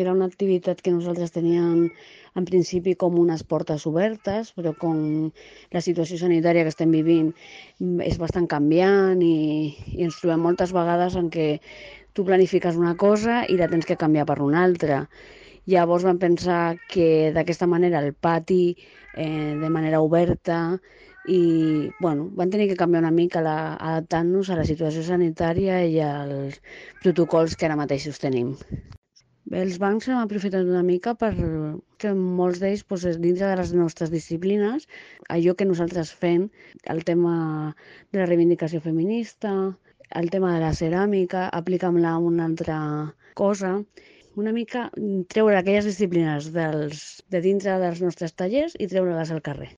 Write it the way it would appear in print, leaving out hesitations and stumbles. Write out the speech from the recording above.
Era una activitat que nosaltres teníem en principi com unes portes obertes, però com la situació sanitària que estem vivint és bastant canviant i ens trobem moltes vegades en què tu planifiques una cosa i la tens que canviar per una altra. Llavors vam pensar que d'aquesta manera el pati, de manera oberta, i bueno, van tenir que canviar una mica adaptant-nos a la situació sanitària i als protocols que ara mateix tenim. Bé, els bancs hem aprofitat una mica per que molts d'ells, doncs, dintre de les nostres disciplines, allò que nosaltres fem, el tema de la reivindicació feminista, el tema de la ceràmica, aplica'm-la a una altra cosa, una mica treure aquelles disciplines de dintre dels nostres tallers i treure-les al carrer.